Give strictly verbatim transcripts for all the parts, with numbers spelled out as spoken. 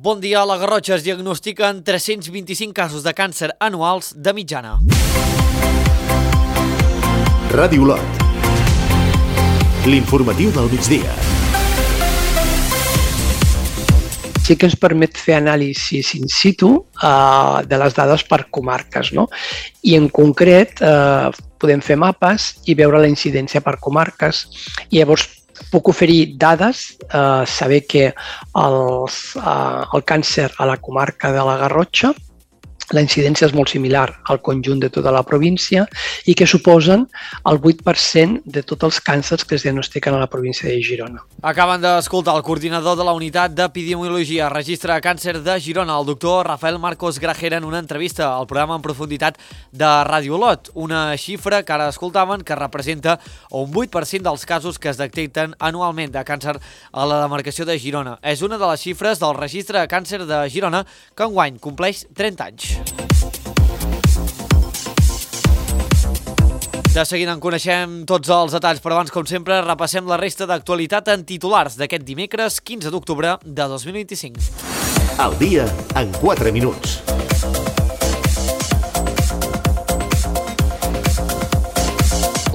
Bon dia, a la Garrotxa es diagnostiquen tres-cents vint-i-cinc casos de càncer anuals de mitjana. Ràdio Olot, l'informatiu del migdia. Sí que ens permet fer anàlisis in situ uh, de les dades per comarques, no? I en concret uh, podem fer mapes i veure la incidència per comarques i llavors puc oferir dades, eh, saber que els, eh, el càncer a la comarca de la Garrotxa, la incidència és molt similar al conjunt de tota la província i que suposen el vuit per cent de tots els càncers que es diagnostiquen a la província de Girona. Acaben d'escoltar el coordinador de la Unitat d'Epidemiologia, Registre de Càncer de Girona, el doctor Rafael Marcos Grajera, en una entrevista al programa En Profunditat de Ràdio Olot. Una xifra que ara escoltaven que representa un vuit per cent dels casos que es detecten anualment de càncer a la demarcació de Girona. És una de les xifres del Registre de Càncer de Girona que enguany compleix trenta anys. De seguida en coneixem tots els detalls, però abans, com sempre, repassem la resta d'actualitat en titulars d'aquest dimecres quinze d'octubre de dos mil vint-i-cinc. Al dia en quatre minuts.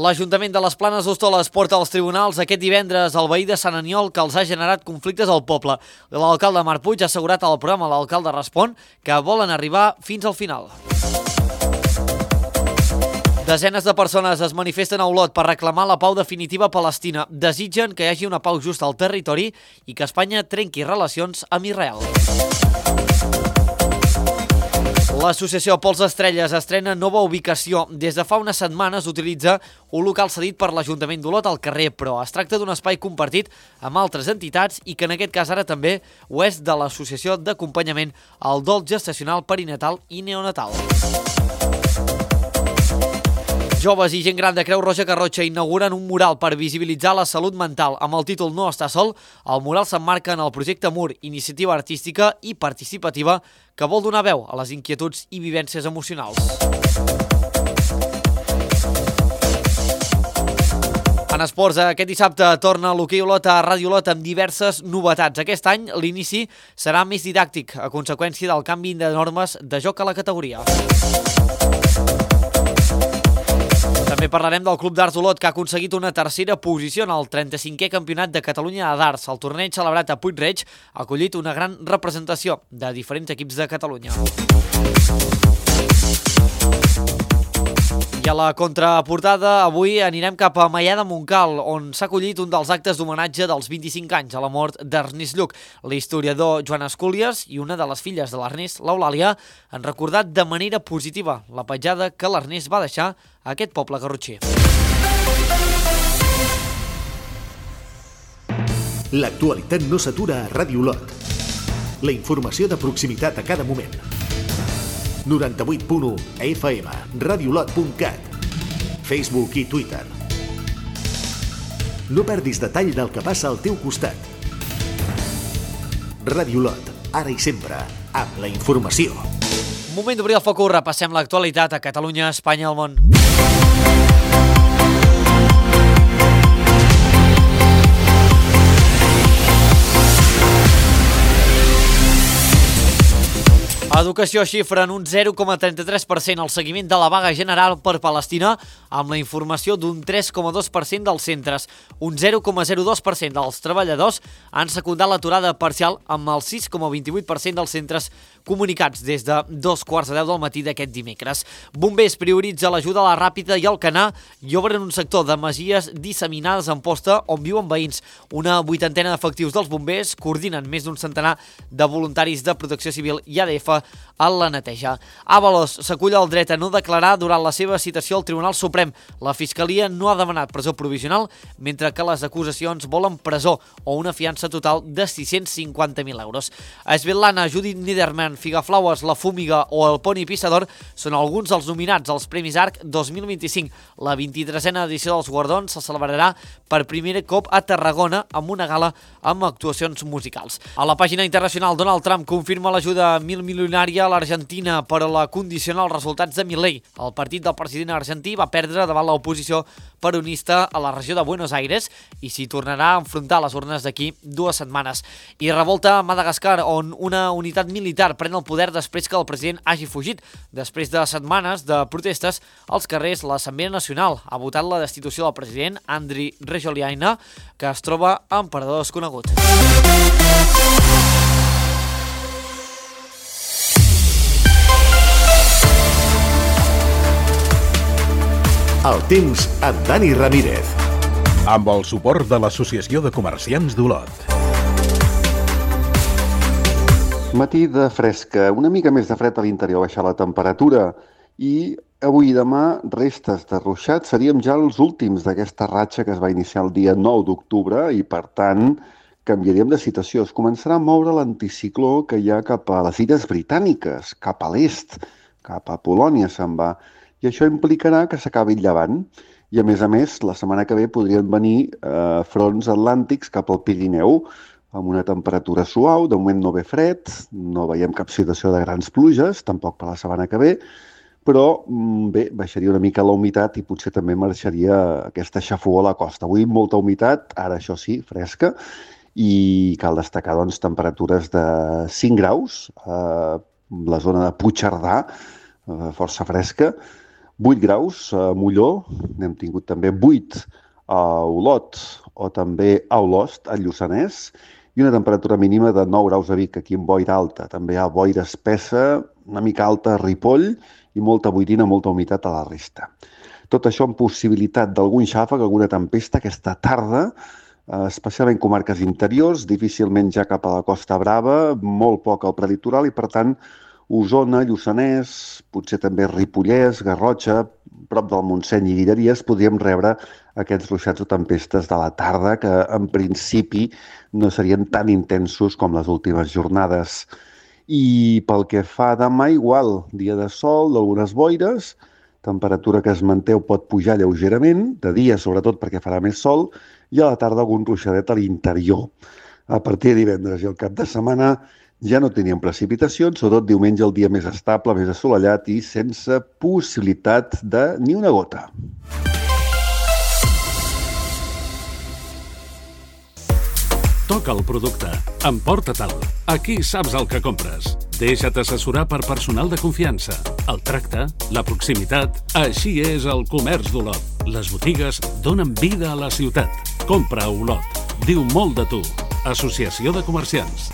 L'Ajuntament de les Planes d'Hostoles porta als tribunals aquest divendres el veí de Sant Aniol que els ha generat conflictes al poble. L'alcalde Marc Puig ha assegurat al programa L'Alcalde Respon que volen arribar fins al final. Desenes de persones es manifesten a Olot per reclamar la pau definitiva a Palestina. Desitgen que hi hagi una pau justa al territori i que Espanya trenqui relacions amb Israel. L'associació Pols Estrelles estrena nova ubicació. Des de fa unes setmanes utilitza un local cedit per l'Ajuntament d'Olot al carrer, però es tracta d'un espai compartit amb altres entitats i que en aquest cas ara també ho és de l'Associació d'Acompanyament al Dol Gestacional Perinatal i Neonatal. Joves i gent gran de Creu Roja Garrotxa inauguren un mural per visibilitzar la salut mental. Amb el títol No està sol, el mural s'emmarca en el projecte M U R, iniciativa artística i participativa que vol donar veu a les inquietuds i vivències emocionals. En esports, aquest dissabte torna l'hoquei Olot a Ràdio Olot amb diverses novetats. Aquest any l'inici serà més didàctic a conseqüència del canvi de normes de joc a la categoria. També parlarem del Club d'Arts Olot, que ha aconseguit una tercera posició en el trenta-cinquè Campionat de Catalunya d'Arts. El torneig celebrat a Puig-reig ha acollit una gran representació de diferents equips de Catalunya. I a la contraportada, avui anirem cap a Maià de Montcal, on s'ha acollit un dels actes d'homenatge dels vint-i-cinc anys a la mort d'Ernest Lluch. L'historiador Joan Escúlies i una de les filles de l'Ernest, l'Eulàlia, han recordat de manera positiva la petjada que l'Ernest va deixar a aquest poble garrotxer. L'actualitat no s'atura a Ràdio Olot. La informació de proximitat a cada moment. noranta-vuit punt u a F M, radiolot punt cat, Facebook i Twitter. No perdis detall del que passa al teu costat. Ràdio Olot, ara i sempre, amb la informació. Moment d'obrir el focus, repassem l'actualitat a Catalunya, Espanya i el món. Educació xifra en un zero coma trenta-tres per cent el seguiment de la vaga general per Palestina, amb la informació d'un tres coma dos per cent dels centres. Un zero coma zero dos per cent dels treballadors han secundat l'aturada parcial, amb el sis coma vint-i-vuit per cent dels centres comunicats des de dos quarts de deu del matí d'aquest dimecres. Bombers prioritza l'ajuda a la Ràpita i al Canà i obren un sector de masies disseminades en posta on viuen veïns. Una vuitantena d'efectius dels bombers coordinen més d'un centenar de voluntaris de Protecció Civil i A D F a la neteja. Ábalos s'acull el dret a no declarar durant la seva citació al Tribunal Suprem. La Fiscalia no ha demanat presó provisional, mentre que les acusacions volen presó o una fiança total de sis-cents cinquanta mil euros. A Svetlana, Judith Niederman, Figaflaues, La Fúmiga o El Poni Pissador són alguns dels nominats als Premis Arc dos mil vint-i-cinc. La vint-i-tresena edició dels guardons se celebrarà per primer cop a Tarragona amb una gala amb actuacions musicals. A la pàgina internacional, Donald Trump confirma l'ajuda a mil milions multitudinària a l'Argentina per a la condicionar els resultats de Milei. El partit del president argentí va perdre davant l'oposició peronista a la regió de Buenos Aires i s'hi tornarà a enfrontar a les urnes d'aquí dues setmanes. I revolta a Madagascar, on una unitat militar pren el poder després que el president hagi fugit. Després de setmanes de protestes als carrers, l'Assemblea Nacional ha votat la destitució del president Andry Rajoelina, que es troba en parador desconegut. El temps amb Dani Ramírez. Amb el suport de l'Associació de Comerciants d'Olot. Matí de fresca, una mica més de fred a l'interior, baixar la temperatura i avui i demà restes de ruixat. Seríem ja els últims d'aquesta ratxa que es va iniciar el dia nou d'octubre i, per tant, canviaríem de situació. Es començarà a moure l'anticicló que hi ha cap a les Illes Britàniques, cap a l'est, cap a Polònia se'n va. I això implicarà que s'acabi el llevant. I, a més a més, la setmana que ve podrien venir eh, fronts atlàntics cap al Pirineu, amb una temperatura suau, de moment no ve fred, no veiem cap situació de grans pluges, tampoc per la setmana que ve, però bé, baixaria una mica la humitat i potser també marxaria aquesta xafogor a la costa. Avui molta humitat, ara això sí, fresca, i cal destacar doncs, temperatures de cinc graus, a la zona de Puigcerdà, força fresca, vuit graus a Molló, n'hem tingut també vuit a Olot o també a Olost, a Lluçanès, i una temperatura mínima de nou graus a Vic, aquí amb boira alta. També hi ha boira espessa, una mica alta a Ripoll i molta boirina, molta humitat a la resta. Tot això amb possibilitat d'algun xàfec, alguna tempesta aquesta tarda, especialment comarques interiors, difícilment ja cap a la Costa Brava, molt poc al prelitoral i, per tant, Osona, Lluçanès, potser també Ripollès, Garrotxa, prop del Montseny i Guilleries, podríem rebre aquests ruixats o tempestes de la tarda que en principi no serien tan intensos com les últimes jornades. I pel que fa a demà, igual, dia de sol, d'algunes boires, temperatura que es manté o pot pujar lleugerament, de dia sobretot perquè farà més sol, i a la tarda algun ruixadet a l'interior. A partir de divendres i el cap de setmana ja no teníem precipitacions, sobretot diumenge el dia més estable, més assolellat i sense possibilitat de ni una gota. Toca el producte. Emporta-te'l. Aquí saps el que compres. Deixa't assessorar per personal de confiança. El tracte, la proximitat... Així és el comerç d'Olot. Les botigues donen vida a la ciutat. Compra a Olot. Diu molt de tu. Associació de Comerciants.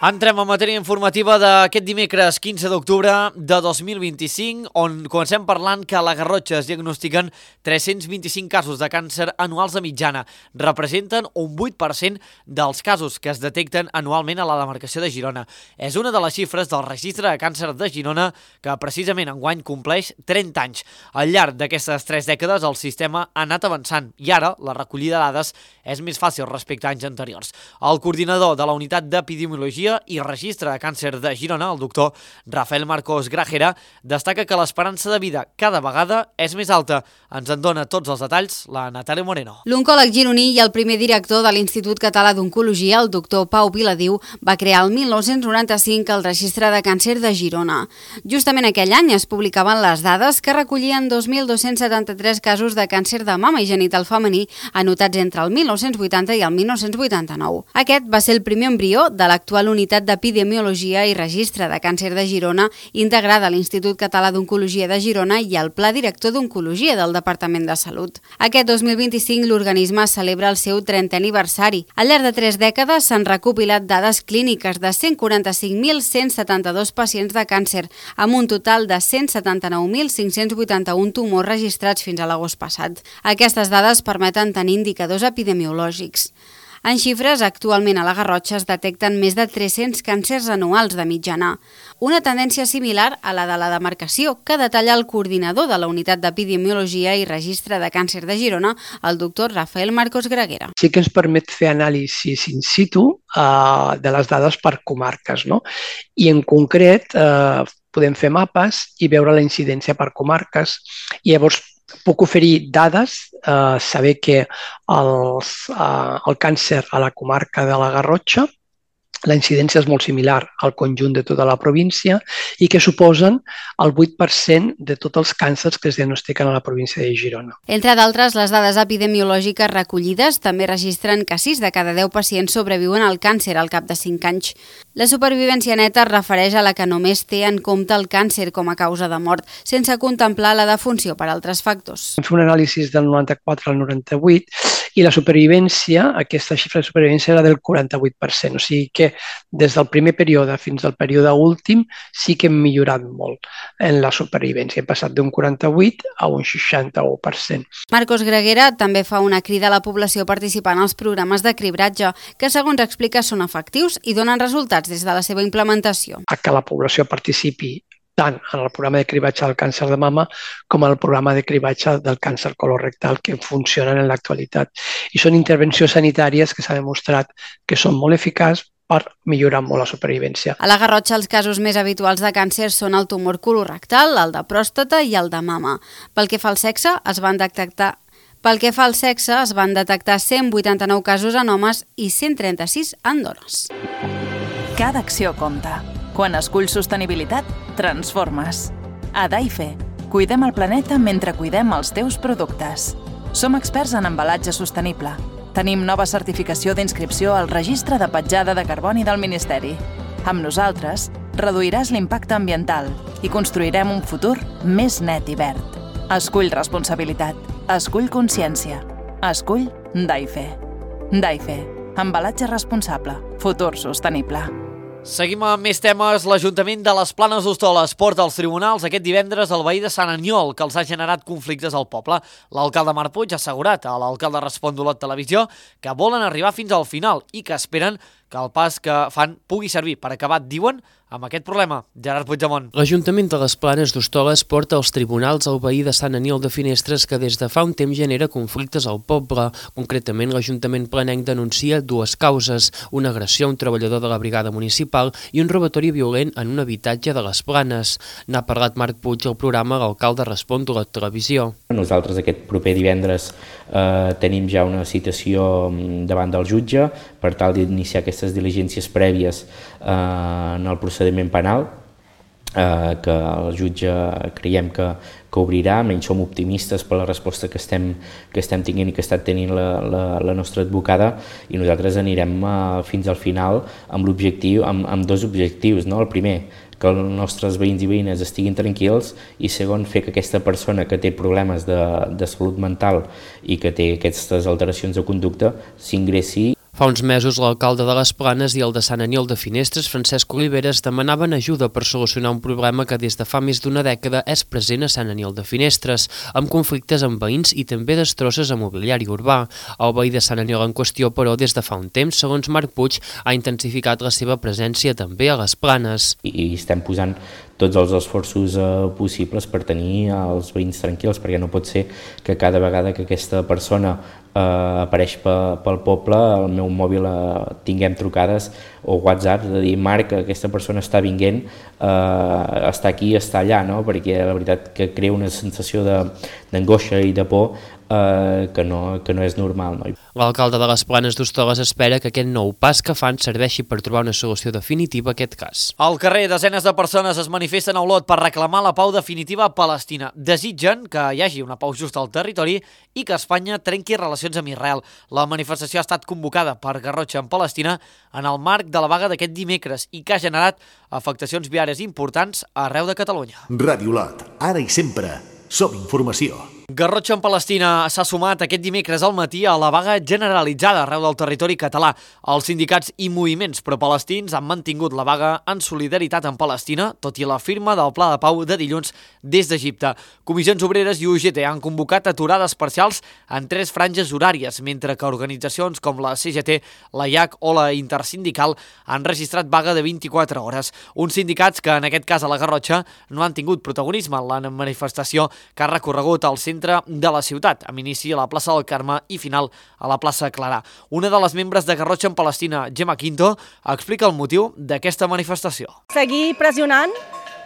Entrem en matèria informativa d'aquest dimecres quinze d'octubre de dos mil vint-i-cinc, on comencem parlant que a la Garrotxa es diagnostiquen tres-cents vint-i-cinc casos de càncer anuals de mitjana. Representen un vuit per cent dels casos que es detecten anualment a la demarcació de Girona. És una de les xifres del registre de càncer de Girona que precisament enguany compleix trenta anys. Al llarg d'aquestes tres dècades el sistema ha anat avançant i ara la recollida de dades és més fàcil respecte a anys anteriors. El coordinador de la unitat d'epidemiologia i registre de càncer de Girona, el doctor Rafael Marcos Grajera, destaca que l'esperança de vida cada vegada és més alta. Ens en dona tots els detalls la Natàlia Moreno. L'oncòleg gironí i el primer director de l'Institut Català d'Oncologia, el doctor Pau Viladiu, va crear el mil nou-cents noranta-cinc el registre de càncer de Girona. Justament aquell any es publicaven les dades que recollien dos mil dos-cents setanta-tres casos de càncer de mama i genital femení anotats entre el mil nou-cents vuitanta i el mil nou-cents vuitanta-nou. Aquest va ser el primer embrió de l'actual unitat Unitat d'Epidemiologia i Registre de Càncer de Girona, integrada a l'Institut Català d'Oncologia de Girona i al Pla Director d'Oncologia del Departament de Salut. Aquest dos mil vint-i-cinc l'organisme celebra el seu trentè aniversari. Al llarg de tres dècades s'han recopilat dades clíniques de cent quaranta-cinc mil cent setanta-dos pacients de càncer, amb un total de cent setanta-nou mil cinc-cents vuitanta-un tumors registrats fins a l'agost passat. Aquestes dades permeten tenir indicadors epidemiològics. En xifres, actualment a la Garrotxa es detecten més de tres-cents càncers anuals de mitjana. Una tendència similar a la de la demarcació, que detalla el coordinador de la Unitat d'Epidemiologia i Registre de Càncer de Girona, el doctor Rafael Marcos Grajera. Sí que ens permet fer anàlisis in situ eh, de les dades per comarques, no? I en concret eh, podem fer mapes i veure la incidència per comarques i llavors puc oferir dades, eh, saber que els, eh, el càncer a la comarca de la Garrotxa la incidència és molt similar al conjunt de tota la província i que suposen el vuit per cent de tots els càncers que es diagnostiquen a la província de Girona. Entre d'altres, les dades epidemiològiques recollides també registren que sis de cada deu pacients sobreviuen al càncer al cap de cinc anys. La supervivència neta es refereix a la que només té en compte el càncer com a causa de mort, sense contemplar la defunció per altres factors. Vam fer un anàlisi del noranta-quatre al noranta-vuit i la supervivència, aquesta xifra de supervivència era del quaranta-vuit per cent, o sigui que des del primer període fins al període últim sí que hem millorat molt en la supervivència. Hem passat d'un quaranta-vuit a un seixanta-u per cent. Marcos Greguera també fa una crida a la població participant als programes de cribratge, que segons explica són efectius i donen resultats des de la seva implementació. A que la població participi tant en el programa de cribatge del càncer de mama com en el programa de cribatge del càncer colorectal que funcionen en l'actualitat. I són intervencions sanitàries que s'ha demostrat que són molt eficaços per millorar molt la supervivència. A la Garrotxa, els casos més habituals de càncer són el tumor colorectal, el de pròstata i el de mama. Pel que fa al sexe, es van detectar Pel que fa al sexe, es van detectar cent vuitanta-nou casos en homes i cent trenta-sis en dones. Cada acció compta. Quan esculls sostenibilitat, transformes. A Daife, cuidem el planeta mentre cuidem els teus productes. Som experts en embalatge sostenible. Tenim nova certificació d'inscripció al Registre de Petjada de Carboni del Ministeri. Amb nosaltres, reduiràs l'impacte ambiental i construirem un futur més net i verd. Escull responsabilitat. Escull consciència. Escull Daife. Daife. Embalatge responsable. Futur sostenible. Seguim amb més temes. L'Ajuntament de les Planes d'Hostoles porta als tribunals aquest divendres el veí de Sant Aniol, que els ha generat conflictes al poble. L'alcalde Marc Puig ha assegurat a l'alcalde Respon d'Olot Televisió que volen arribar fins al final i que esperen que el pas que fan pugui servir per acabar, diuen, amb aquest problema. Gerard Puigdemont. L'Ajuntament de les Planes d'Hostoles porta als tribunals el veí de Sant Aniol de Finestres que des de fa un temps genera conflictes al poble. Concretament, l'Ajuntament planenc denuncia dues causes, una agressió a un treballador de la brigada municipal i un robatori violent en un habitatge de les Planes. N'ha parlat Marc Puig al programa L'alcalde Respon de la televisió. Nosaltres aquest proper divendres eh, tenim ja una citació davant del jutge per tal d'iniciar aquestes diligències prèvies eh, en el procediment penal, eh, que el jutge creiem que, que obrirà. Menys som optimistes per la resposta que estem, que estem tinguent i que està tenint la, la, la nostra advocada, i nosaltres anirem eh, fins al final amb l'objectiu, amb, amb dos objectius, no? El primer, que els nostres veïns i veïnes estiguin tranquils, i segon, fer que aquesta persona que té problemes de, de salut mental i que té aquestes alteracions de conducta s'ingressi. Fa uns mesos l'alcalde de les Planes i el de Sant Aniol de Finestres, Francesc Oliveres, demanaven ajuda per solucionar un problema que des de fa més d'una dècada és present a Sant Aniol de Finestres, amb conflictes amb veïns i també destrosses a mobiliari urbà. El veí de Sant Aniol en qüestió, però, des de fa un temps, segons Marc Puig, ha intensificat la seva presència també a les Planes. I estem posant tots els esforços eh, possibles per tenir els veïns tranquils, perquè no pot ser que cada vegada que aquesta persona eh, apareix pe, pel poble, al meu mòbil eh, tinguem trucades o WhatsApp de dir: Marc, aquesta persona està vinguent, eh, està aquí, està allà, no? Perquè la veritat que crea una sensació d'angoixa i de por eh, que, no, que no és normal. No? L'alcalde de les Planes d'Hostoles espera que aquest nou pas que fan serveixi per trobar una solució definitiva a aquest cas. Al carrer, desenes de persones es manifesten a Olot per reclamar la pau definitiva a Palestina. Desitgen que hi hagi una pau justa al territori i que Espanya trenqui relacions amb Israel. La manifestació ha estat convocada per Garrotxa en Palestina en el marc de la vaga d'aquest dimecres i que ha generat afectacions viàries importants arreu de Catalunya. Ràdio Olot, ara i sempre, som informació. Garrotxa en Palestina s'ha sumat aquest dimecres al matí a la vaga generalitzada arreu del territori català. Els sindicats i moviments pro-palestins han mantingut la vaga en solidaritat amb Palestina, tot i la firma del Pla de Pau de dilluns des d'Egipte. Comissions Obreres i U G T han convocat aturades parcials en tres franges horàries, mentre que organitzacions com la C G T, la I A C o la Intersindical han registrat vaga de vint-i-quatre hores. Uns sindicats que, en aquest cas a la Garrotxa, no han tingut protagonisme en la manifestació que ha recorregut al centre de la ciutat, amb inici a la plaça del Carme i final a la plaça Clarà. Una de les membres de Garrotxa en Palestina, Gemma Quinto, explica el motiu d'aquesta manifestació. Seguir pressionant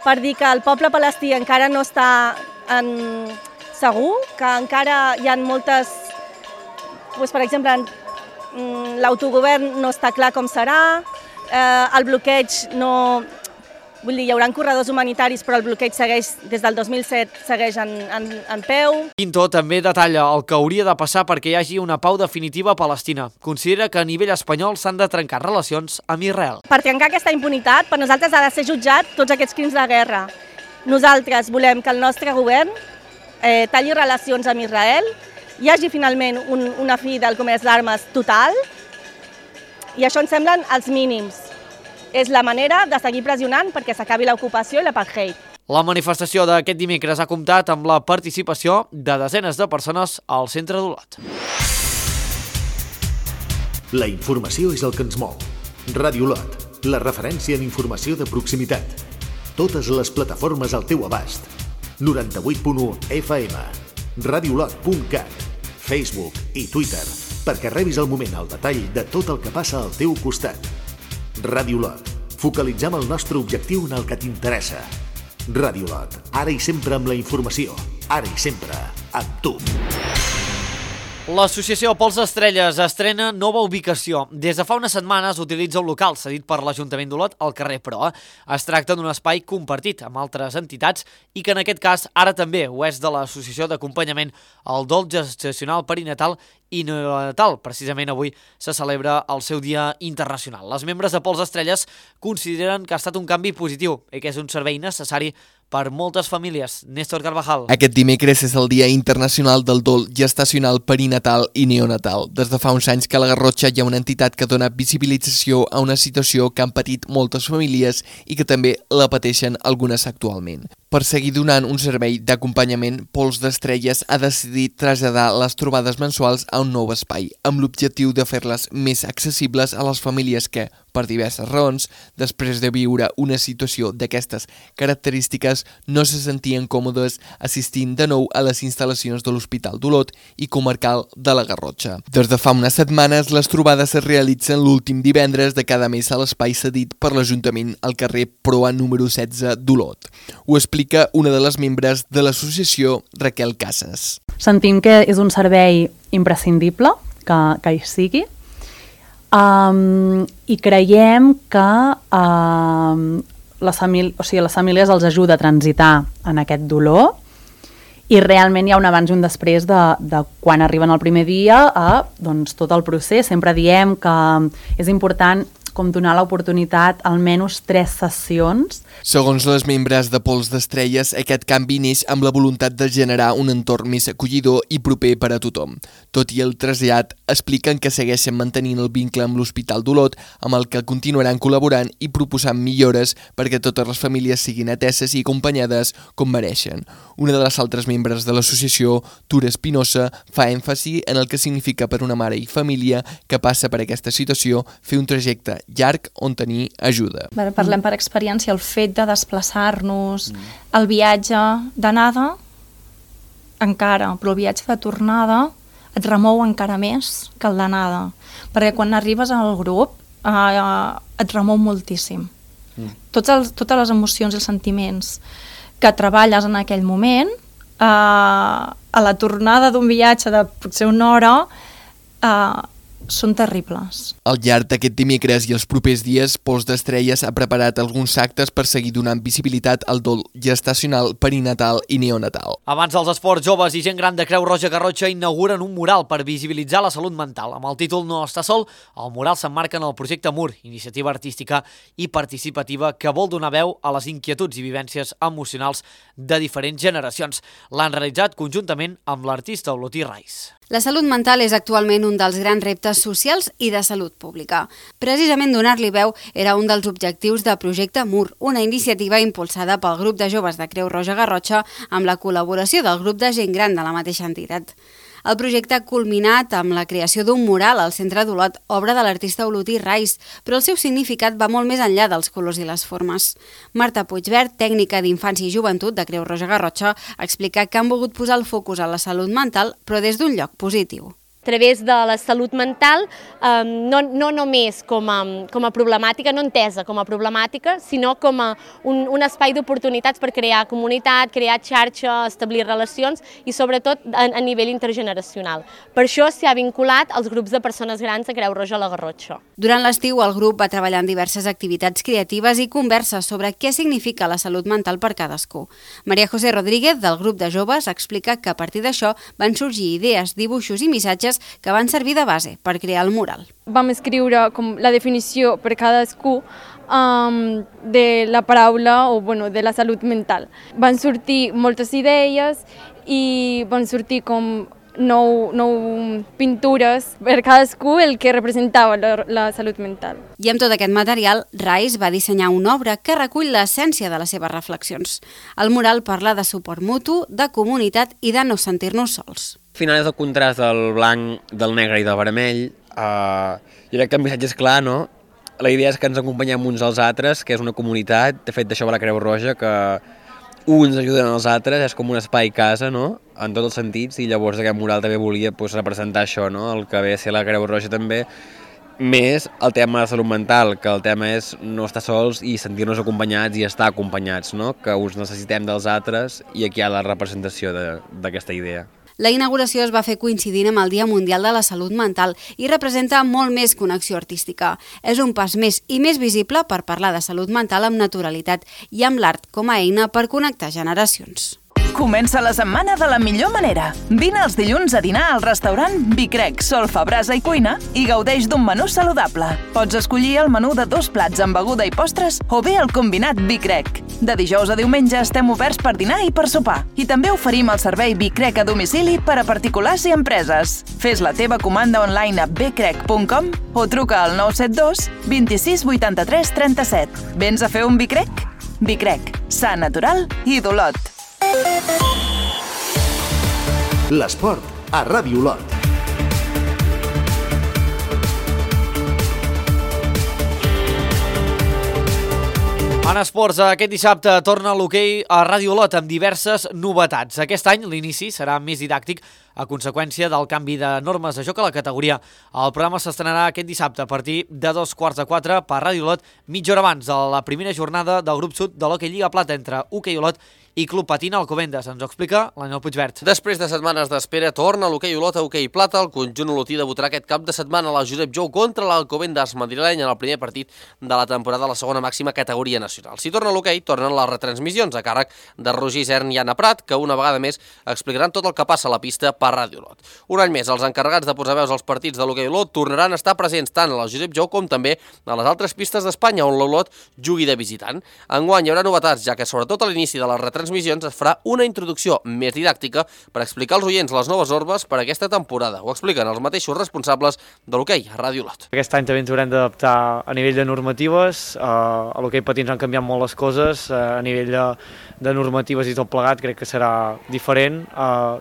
per dir que el poble palestí encara no està en segur, que encara hi ha moltes, doncs, per exemple, l'autogovern no està clar com serà, eh, el bloqueig no... Vull dir, hi haurà corredors humanitaris, però el bloqueig segueix, des del dos mil set, segueix en, en, en peu. Pinto també detalla el que hauria de passar perquè hi hagi una pau definitiva a Palestina. Considera que a nivell espanyol s'han de trencar relacions amb Israel. Per trencar aquesta impunitat, per nosaltres ha de ser jutjat tots aquests crims de guerra. Nosaltres volem que el nostre govern eh, talli relacions amb Israel, hi hagi finalment un, una fi del comerç d'armes total, i això ens semblen els mínims. És la manera de seguir pressionant perquè s'acabi l'ocupació i l'apartheid. La manifestació d'aquest dimecres ha comptat amb la participació de desenes de persones al centre d'Olot. La informació és el que ens mou. Ràdio Olot, la referència en informació de proximitat. Totes les plataformes al teu abast. noranta-vuit punt u F M, radiolot punt cat, Facebook i Twitter, perquè rebis al moment el detall de tot el que passa al teu costat. Ràdio Olot. Focalitzem el nostre objectiu en el que t'interessa. Ràdio Olot. Ara i sempre amb la informació. Ara i sempre amb tu. L'associació Pols d'Estrelles estrena nova ubicació. Des de fa unes setmanes utilitza un local cedit per l'Ajuntament d'Olot al carrer Proa. Es tracta d'un espai compartit amb altres entitats i que en aquest cas ara també ho és de l'Associació d'Acompanyament al Dol Gestacional Perinatal i Neonatal. Precisament avui se celebra el seu Dia Internacional. Les membres de Pols d'Estrelles consideren que ha estat un canvi positiu i que és un servei necessari per moltes famílies. Néstor Carvajal. Aquest dimecres és el Dia Internacional del Dol Gestacional Perinatal i Neonatal. Des de fa uns anys que a la Garrotxa hi ha una entitat que dona visibilització a una situació que han patit moltes famílies i que també la pateixen algunes actualment. Per seguir donant un servei d'acompanyament, Pols d'Estrelles ha decidit traslladar les trobades mensuals a un nou espai, amb l'objectiu de fer-les més accessibles a les famílies que, per diverses raons, després de viure una situació d'aquestes característiques, no se sentien còmodes assistint de nou a les instal·lacions de l'Hospital d'Olot i Comarcal de la Garrotxa. Des de fa unes setmanes, les trobades es realitzen l'últim divendres de cada mes a l'espai cedit per l'Ajuntament al carrer Proa número setze d'Olot. Ho explica una de les membres de l'associació, Raquel Casas. Sentim que és un servei imprescindible que, que hi sigui um, i creiem que um, les, famílies, o sigui, les famílies els ajuda a transitar en aquest dolor i realment hi ha un abans i un després de, de quan arriben el primer dia a doncs, tot el procés. Sempre diem que és important com donar l'oportunitat almenys tres sessions. Segons les membres de Pols d'Estrelles, aquest canvi neix amb la voluntat de generar un entorn més acollidor i proper per a tothom. Tot i el trasllat, expliquen que segueixen mantenint el vincle amb l'Hospital d'Olot, amb el que continuaran col·laborant i proposant millores perquè totes les famílies siguin ateses i acompanyades com mereixen. Una de les altres membres de l'associació, Tura Espinosa, fa èmfasi en el que significa per una mare i família que passa per aquesta situació fer un trajecte llarg on tenir ajuda. Bé, parlem per experiència, el fet de desplaçar-nos, mm. el viatge d'anada encara, però el viatge de tornada et remou encara més que el d'anada, perquè quan arribes al grup eh, et remou moltíssim. Mm. Tots els, totes les emocions i els sentiments que treballes en aquell moment, eh, a la tornada d'un viatge de potser una hora, eh, són terribles. Al llarg d'aquest dimecres i els propers dies, Pols d'Estrelles ha preparat alguns actes per seguir donant visibilitat al dol gestacional, perinatal i neonatal. Abans dels esports, joves i gent gran de Creu Roja Garrotxa inauguren un mural per visibilitzar la salut mental. Amb el títol No està sol, el mural s'emmarca en el projecte M U R, iniciativa artística i participativa que vol donar veu a les inquietuds i vivències emocionals de diferents generacions. L'han realitzat conjuntament amb l'artista Olotí Rais. La salut mental és actualment un dels grans reptes socials i de salut pública. Precisament donar-li veu era un dels objectius del projecte M U R, una iniciativa impulsada pel grup de joves de Creu Roja Garrotxa amb la col·laboració del grup de gent gran de la mateixa entitat. El projecte ha culminat amb la creació d'un mural al centre d'Olot, obra de l'artista Olotí Rais, però el seu significat va molt més enllà dels colors i les formes. Marta Puigvert, tècnica d'Infància i Joventut de Creu Roja Garrotxa, explica que han volgut posar el focus a la salut mental, però des d'un lloc positiu. través de la salut mental, eh, no, no només com a, com a problemàtica, no entesa com a problemàtica, sinó com a un, un espai d'oportunitats per crear comunitat, crear xarxa, establir relacions i sobretot a, a nivell intergeneracional. Per això s'ha vinculat als grups de persones grans a Creu Roja a la Garrotxa. Durant l'estiu, el grup va treballar en diverses activitats creatives i converses sobre què significa la salut mental per cadascú. Maria José Rodríguez, del grup de joves, explica que a partir d'això van sorgir idees, dibuixos i missatges que van servir de base per crear el mural. Vam escriure com la definició per cadascú um, de la paraula o bueno, de la salut mental. Van sortir moltes idees i van sortir com nou, nou pintures per cadascú el que representava la, la salut mental. I amb tot aquest material, Rice va dissenyar una obra que recull l'essència de les seves reflexions. El mural parla de suport mutu, de comunitat i de no sentir-nos sols. Al final és el contrast del blanc, del negre i del vermell. Uh, jo crec que el missatge és clar, no? La idea és que ens acompanyem uns als altres, que és una comunitat. De fet, d'això va la Creu Roja, que uns ajuden als altres, és com un espai casa, no?, en tots els sentits, i llavors aquest mural també volia pues, representar això, no?, el que ve a ser la Creu Roja també, més el tema de salut mental, que el tema és no estar sols i sentir-nos acompanyats i estar acompanyats, no?, que uns necessitem dels altres, i aquí hi ha la representació d'aquesta idea. La inauguració es va fer coincidint amb el Dia Mundial de la Salut Mental i representa molt més que una acció artística. És un pas més i més visible per parlar de salut mental amb naturalitat i amb l'art com a eina per connectar generacions. Comença la setmana de la millor manera. Vine els dilluns a dinar al restaurant Bicrec, Solfa, Brasa i Cuina i gaudeix d'un menú saludable. Pots escollir el menú de dos plats amb beguda i postres o bé el combinat Bicrec. De dijous a diumenge estem oberts per dinar i per sopar. I també oferim el servei Bicrec a domicili per a particulars i empreses. Fes la teva comanda online a bicrec punt com o truca al nou set dos, vint-i-sis, vuitanta-tres, trenta-set. Vens a fer un Bicrec? Bicrec, sa, natural i d'Olot. L'esport a Ràdio Olot. En esports, aquest dissabte torna l'hoquei a Ràdio Olot amb diverses novetats. Aquest any l'inici serà més didàctic a conseqüència del canvi de normes de joc a la categoria. El programa s'estrenarà aquest dissabte a partir de dos quarts de quatre per Ràdio Olot, mitja hora abans de la primera jornada del grup sud de l'Hoquei Lliga Plata entre Hoquei Olot i Club Patina Alcobendas. Ens ho explica l'Aniol Puigvert. Després de setmanes d'espera, torna l'Hoquei Olot a Hoquei Plata. El conjunt olotí debutarà aquest cap de setmana a la Josep Jou contra l'Alcobendas madrileny en el primer partit de la temporada a la segona màxima categoria nacional. Si torna l'hoquei, tornen les retransmissions a càrrec de Roger Isern i Anna Prat, que una vegada més explicaran tot el que passa a la pista per Ràdio Olot. Un any més, els encarregats de posar veus als partits de l'Hoquei Olot tornaran a estar presents tant a la Josep Jou com també a les altres pistes d'Espanya on l'Olot jugui de visitant. Enguany hi haurà novetats, ja que sobretot a l'inici de les retransmissions es farà una introducció més didàctica per explicar als oients les noves normes per aquesta temporada. Ho expliquen els mateixos responsables de l'hoquei a Ràdio Olot. Aquest any també ens haurem d'adaptar a nivell de normatives. A l'hoquei patins han canviat molt les coses, a nivell de, de normatives i tot plegat crec que serà diferent,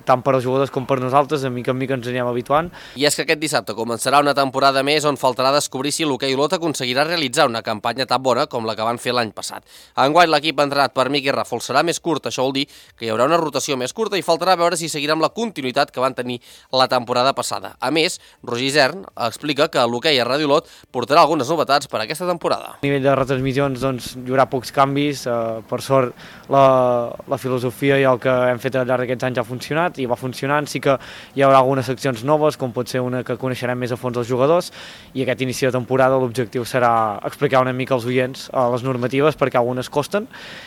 tant per als jugadors com per nosaltres, de mica en mica ens anirem habituant. I és que aquest dissabte començarà una temporada més on faltarà descobrir si l'Hoquei Olot aconseguirà realitzar una campanya tan bona com la que van fer l'any passat. Enguany l'equip entrenat per Miqui Ràfol serà més curt, això vol dir que hi haurà una rotació més curta i faltarà veure si seguirà amb la continuïtat que van tenir la temporada passada. A més, Roger Isern explica que l'hoquei a Ràdio Olot portarà algunes novetats per a aquesta temporada. A nivell de retransmissions doncs, hi haurà pocs canvis, eh, per sort la, la filosofia i el que hem fet al llarg d'aquests anys ha funcionat i va funcionant. Sí que hi haurà algunes seccions noves, com pot ser una que coneixerem més a fons els jugadors, i aquest inici de temporada l'objectiu serà explicar una mica als oients eh, les normatives, perquè algunes costen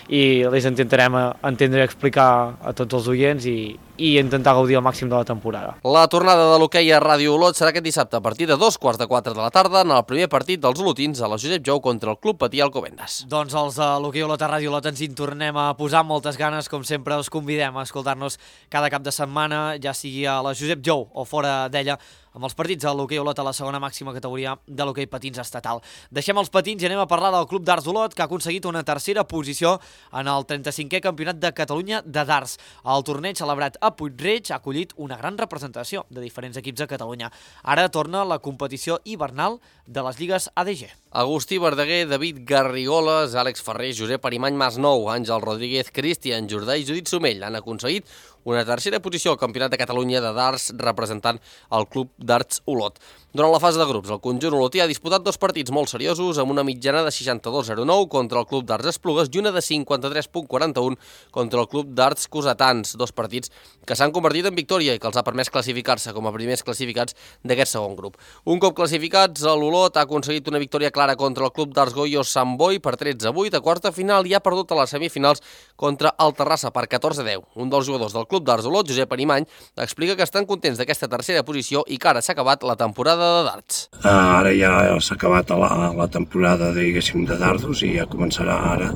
i les intentarem entendre i explicar a tots els oients i, i intentar gaudir al màxim de la temporada. La tornada de l'hoquei a Ràdio Olot serà aquest dissabte a partir de dos quarts de quatre de la tarda en el primer partit dels olotins a la Josep Jou contra el Club Patí Alcobendas. Doncs els de l'hoquei Olot a Ràdio Olot ens hi tornem a posar moltes ganes, com sempre us convidem a escoltar-nos cada cap de setmana, ja sigui a la Josep Jou o fora d'ella, amb els partits de l'hoquei Olot a la segona màxima categoria de l'hoquei patins estatal. Deixem els patins i anem a parlar del Club d'Arts Olot, que ha aconseguit una tercera posició en el trenta-cinquè Campionat de Catalunya de darts. El torneig celebrat a Puig-reig ha acollit una gran representació de diferents equips de Catalunya. Ara torna la competició hivernal de les lligues A D G. Agustí Verdaguer, David Garrigoles, Àlex Ferrer, Josep Arimany Masnou, Àngel Rodríguez, Cristian Jordà i Judit Somell han aconseguit una tercera posició al Campionat de Catalunya de darts representant el Club d'Arts Olot. Durant la fase de grups, el conjunt olotí ha disputat dos partits molt seriosos amb una mitjana de seixanta-dos coma zero nou contra el Club d'Arts Esplugues i una de cinquanta-tres coma quaranta un contra el Club d'Arts Cossetans, dos partits que s'han convertit en victòria i que els ha permès classificar-se com a primers classificats d'aquest segon grup. Un cop classificats, l'Olot ha aconseguit una victòria clara contra el Club d'Arts Goyo Sant Boi per tretze a vuit a quarta final i ha perdut a les semifinals contra el Terrassa per catorze a deu. Un dels jugadors del Club d'Arts Olot, Josep Arimany, explica que estan contents d'aquesta tercera posició i que ara s'ha acabat la temporada de darts. Uh, ara ja s'ha acabat la, la temporada, diguéssim, de dardos i ja començarà ara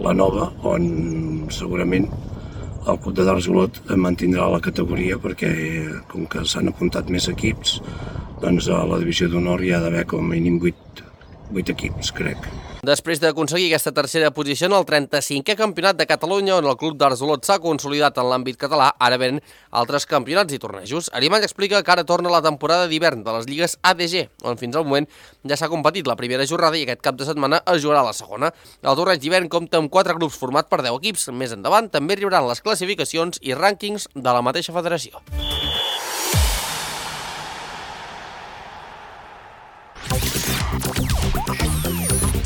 la nova, on segurament el Club de Darts Olot mantindrà la categoria perquè, com que s'han apuntat més equips, doncs a la divisió d'honor hi ha d'haver com a mínim vuit, vuit equips, crec. Després d'aconseguir aquesta tercera posició en el trenta-cinquè campionat de Catalunya, on el Club d'Arts Olot s'ha consolidat en l'àmbit català, ara ven altres campionats i tornejos. Arimany explica que ara torna la temporada d'hivern de les lligues A D G, on fins al moment ja s'ha competit la primera jornada i aquest cap de setmana es jugarà la segona. El torneig d'hivern compta amb quatre grups format per deu equips. Més endavant també arribaran les classificacions i rànquings de la mateixa federació.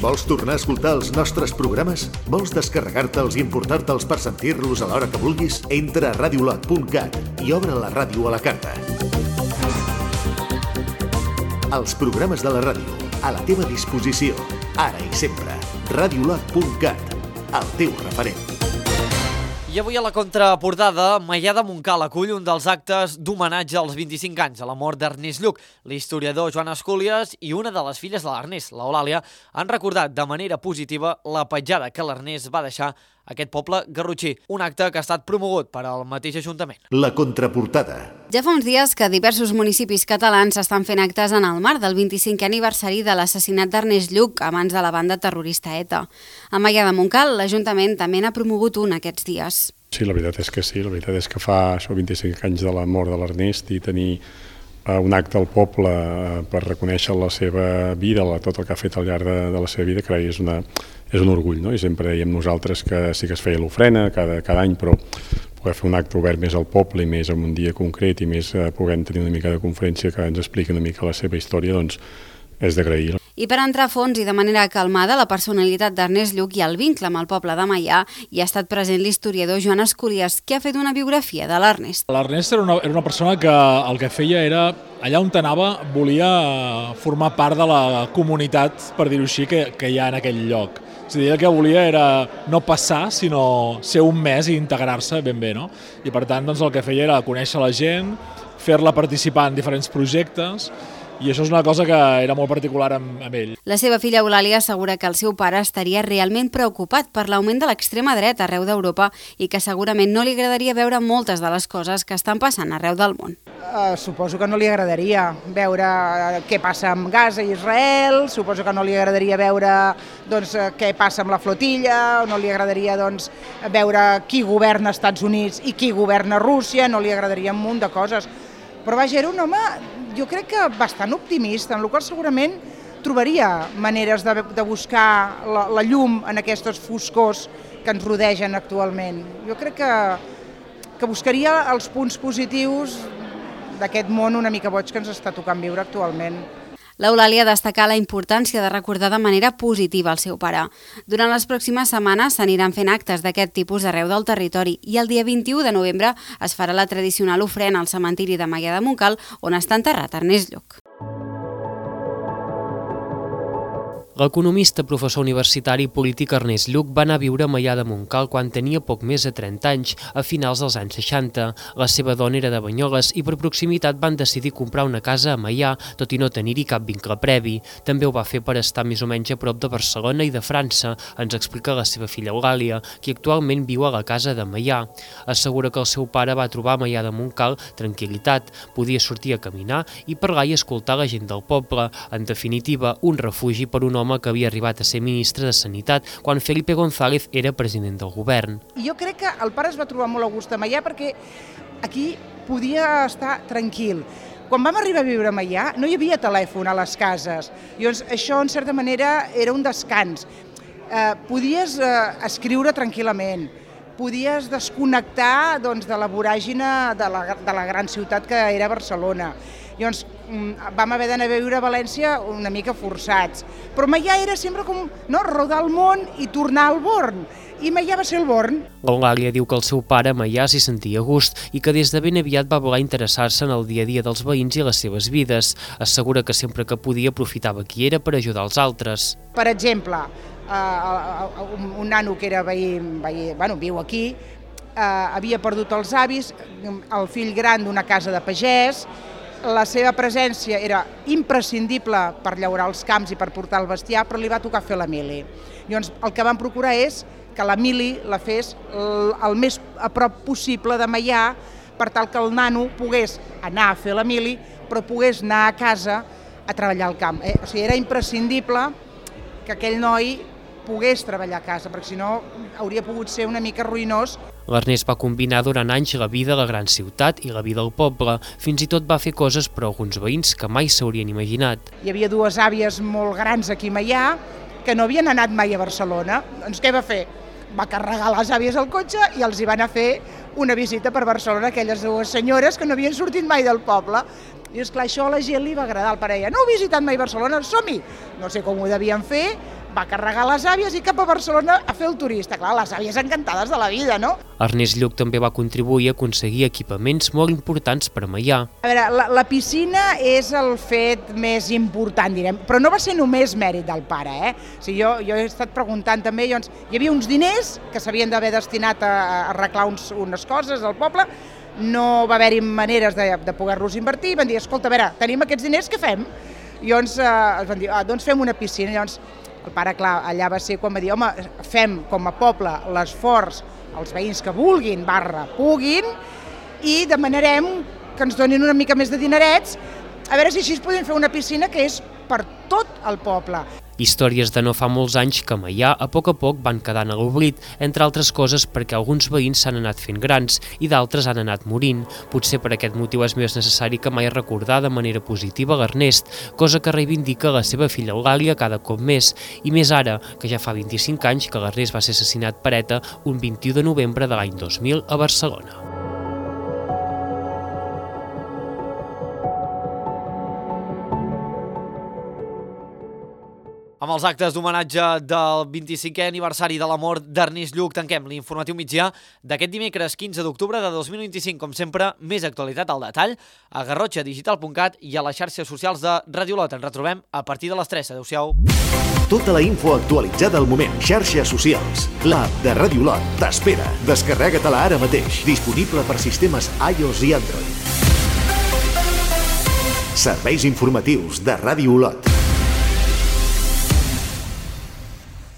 Vols tornar a escoltar els nostres programes? Vols descarregar-te'ls i importar-te'ls per sentir-los a l'hora que vulguis? Entra a radiolot punt cat i obre la ràdio a la carta. Els programes de la ràdio, a la teva disposició, ara i sempre. radiolot punt cat, el teu referent. I avui a la contraportada, Maià de Montcal acull un dels actes d'homenatge als vint-i-cinc anys a la mort d'Ernest Lluch. L'historiador Joan Escúlies i una de les filles de l'Ernest, l'Eulàlia, han recordat de manera positiva la petjada que l'Ernest va deixar a aquest poble garrotxí, un acte que ha estat promogut per al mateix Ajuntament. La contraportada. Ja fa uns dies que diversos municipis catalans estan fent actes en el marc del vint-i-cinquè aniversari de l'assassinat d'Ernest Lluch a mans de la banda terrorista ETA. A Maià de Montcal, l'Ajuntament també n'ha promogut un aquests dies. Sí, la veritat és que sí, la veritat és que fa això vint-i-cinc anys de la mort de l'Ernest i tenir un acte al poble per reconèixer la seva vida, tot el que ha fet al llarg de, de la seva vida, crec que és, una, és un orgull, no? I sempre dèiem nosaltres que sí que es feia l'ofrena cada, cada any, però poder fer un acte obert més al poble i més en un dia concret i més eh, podent tenir una mica de conferència que ens expliqui una mica la seva història, doncs és d'agrair. I per entrar a fons i de manera calmada la personalitat d'Ernest Lluch i el vincle amb el poble de Maià, hi ha estat present l'historiador Joan Escúlies, que ha fet una biografia de l'Ernest. L'Ernest era una, era una persona que el que feia era, allà on anava, volia formar part de la comunitat, per dir-ho així, que, que hi ha en aquell lloc. És a dir, el que volia era no passar, sinó ser un mes i integrar-se ben bé, no? I per tant, doncs, el que feia era conèixer la gent, fer-la participar en diferents projectes, i això és una cosa que era molt particular amb, amb ell. La seva filla Eulàlia assegura que el seu pare estaria realment preocupat per l'augment de l'extrema dreta arreu d'Europa i que segurament no li agradaria veure moltes de les coses que estan passant arreu del món. Uh, suposo que no li agradaria veure què passa amb Gaza i Israel, suposo que no li agradaria veure doncs, què passa amb la flotilla, no li agradaria doncs, veure qui governa als Estats Units i qui governa Rússia, no li agradaria un munt de coses. Però vaja, era un home, jo crec que bastant optimista, en el qual segurament trobaria maneres de, de buscar la, la llum en aquests foscors que ens rodegen actualment. Jo crec que, que buscaria els punts positius d'aquest món una mica boig que ens està tocant viure actualment. L'Eulàlia destaca la importància de recordar de manera positiva el seu pare. Durant les pròximes setmanes s'aniran fent actes d'aquest tipus arreu del territori i el dia vint-i-u de novembre es farà la tradicional ofrena al cementiri de Maià de Montcal, on està enterrat Ernest Lluch. L'economista, professor universitari i polític Ernest Lluch va anar a viure a Maià de Montcal quan tenia poc més de trenta anys, a finals dels anys seixanta. La seva dona era de Banyoles i per proximitat van decidir comprar una casa a Maià, tot i no tenir-hi cap vincle previ. També ho va fer per estar més o menys a prop de Barcelona i de França, ens explica la seva filla Eulàlia, qui actualment viu a la casa de Maià. Assegura que el seu pare va trobar a Maià de Montcal tranquil·litat, podia sortir a caminar i parlar i escoltar la gent del poble. En definitiva, un refugi per un home que havia arribat a ser ministre de Sanitat quan Felipe González era president del govern. Jo crec que el pare es va trobar molt a gust a Maià perquè aquí podia estar tranquil. Quan vam arribar a viure a Maià no hi havia telèfon a les cases. Llavors, això, en certa manera, era un descans. Eh, podies eh, escriure tranquil·lament, podies desconnectar doncs, de la voràgina de la, de la gran ciutat que era Barcelona. Llavors vam haver d'anar a viure a València una mica forçats. Però Maià era sempre com no, rodar el món i tornar al Born. I Maià va ser el Born. L'Eulàlia diu que el seu pare, Maià, s'hi sentia a gust i que des de ben aviat va voler interessar-se en el dia a dia dels veïns i les seves vides. Assegura que sempre que podia aprofitava qui era per ajudar els altres. Per exemple, uh, un, un nano que era veí, veí, bueno, viu aquí, uh, havia perdut els avis, el fill gran d'una casa de pagès, la seva presència era imprescindible per llaurar els camps i per portar el bestiar, però li va tocar fer la mili. Llavors, el que vam procurar és que la mili la fes el més a prop possible de Maià, per tal que el nano pogués anar a fer la mili, però pogués anar a casa a treballar al camp. Eh? O sigui, era imprescindible que aquell noi pogués treballar a casa, perquè si no hauria pogut ser una mica ruïnós. L'Ernest va combinar durant anys la vida a la gran ciutat i la vida al poble. Fins i tot va fer coses per a alguns veïns que mai s'haurien imaginat. Hi havia dues àvies molt grans aquí a Maià que no havien anat mai a Barcelona. Doncs què va fer? Va carregar les àvies al cotxe i els hi van a fer una visita per Barcelona, aquelles dues senyores que no havien sortit mai del poble. I esclar, això a la gent li va agradar, el pare deia, no heu visitat mai Barcelona, som-hi! No sé com ho devien fer, va carregar les àvies i cap a Barcelona a fer el turista. Clar, les àvies encantades de la vida, no? Ernest Lluch també va contribuir a aconseguir equipaments molt importants per a Maià. A veure, la, la piscina és el fet més important, direm, però no va ser només mèrit del pare, eh? O sigui, jo, jo he estat preguntant també, doncs, hi havia uns diners que s'havien d'haver destinat a, a arreglar uns, unes coses al poble, no va haver-hi maneres de, de poder-los invertir, van dir, escolta, a veure, tenim aquests diners, què fem? I llavors eh, es van dir, ah, doncs fem una piscina. Llavors el pare, clar, allà va ser quan va dir, home, fem com a poble l'esforç als veïns que vulguin, barra, puguin, i demanarem que ens donin una mica més de dinerets, a veure si així podem fer una piscina que és per tot el poble. Històries de no fa molts anys que a Maià a poc a poc van quedant a l'oblit, entre altres coses perquè alguns veïns s'han anat fent grans i d'altres han anat morint. Potser per aquest motiu és més necessari que mai recordar de manera positiva l'Ernest, cosa que reivindica la seva filla Eulàlia cada cop més, i més ara, que ja fa vint-i-cinc anys que l'Ernest va ser assassinat per ETA un vint-i-u de novembre de l'any dos mil a Barcelona. Amb els actes d'homenatge del vint-i-cinquè aniversari de la mort d'Ernest Lluch tanquem l'informatiu migdia d'aquest dimecres quinze d'octubre de dos mil vint-i-cinc. Com sempre, més actualitat al detall a garrotxa digital punt cat i a les xarxes socials de Radio Lot. Ens retrobem a partir de les tres. Adéu-siau. Tota la info actualitzada al moment. Xarxes socials. L'app de Radio Lot t'espera. Descarrega-te-la ara mateix. Disponible per sistemes iOS i Android. Serveis informatius de Radio Lot.